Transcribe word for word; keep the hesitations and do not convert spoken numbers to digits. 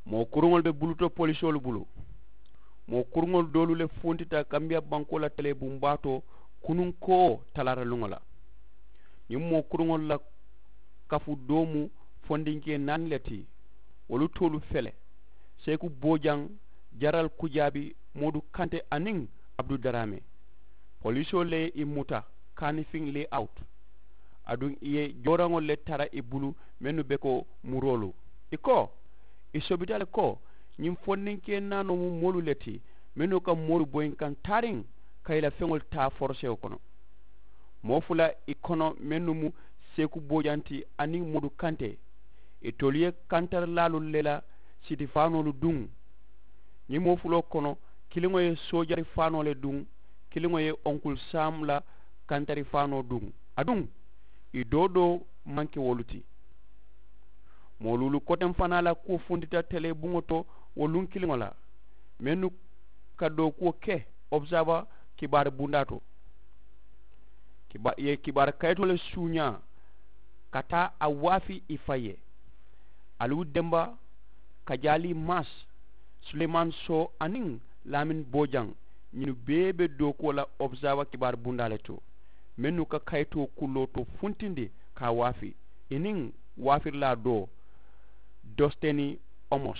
Moo kuruŋolu be buluto polisoolu bulu. Moo kuruŋolu doolu le funtita kambiya bankoo la tele bumbaa to kununkoo talaata luŋo la. Ñiŋ moo kuruŋolu la kafu doo mu fondinkee naani le ti. Wolu toolu fele seeku boojaŋ, jaral kujaabi, moodu kante aniŋ abdu daraame. Polisoolu le ye i muta kaanifiŋ le awutu. Aduŋ i ye jooraŋolu le tara i bulu mennu be ko muroolu. I ko i sobita le ko ñiŋ fondinkee naanoo mu moolu le ti mennu ka moolu boyinkaŋ taariŋ ka i la feŋolu taa forosewo kono. Moo fula i kono mennu mu seeku boojaŋ ti aniŋ moodu kante. Itolu ye kantarilaalu le la siti faanoolu duŋ. Ñiŋ moo fuloo kono kiliŋo ye soojari faanoo le duŋ, kiliŋo ye onkulu saamu la kantari faanoo duŋ. Aduŋ i doo doo maŋ ke wolu ti. Moo luulu koteŋ fanaa la kuwo funtita tele buŋo to wo luŋ kiliŋo la mennu ka dookuwo ke obusaba kibaari bundaa to. Kiba i ye kibaari kayitoo le suuñaa ka taa a waafi i faŋ ye. Aliwu demba, kajaali maasi, suleymaani soo aniŋ laamini boojaŋ, ñinnu bee be dookuwo la obusaba kibaari bundaa le to mennu ka kayitoo kulloo to funtindi ka a waafi i niŋ waafirilaa doo, dositeni omos.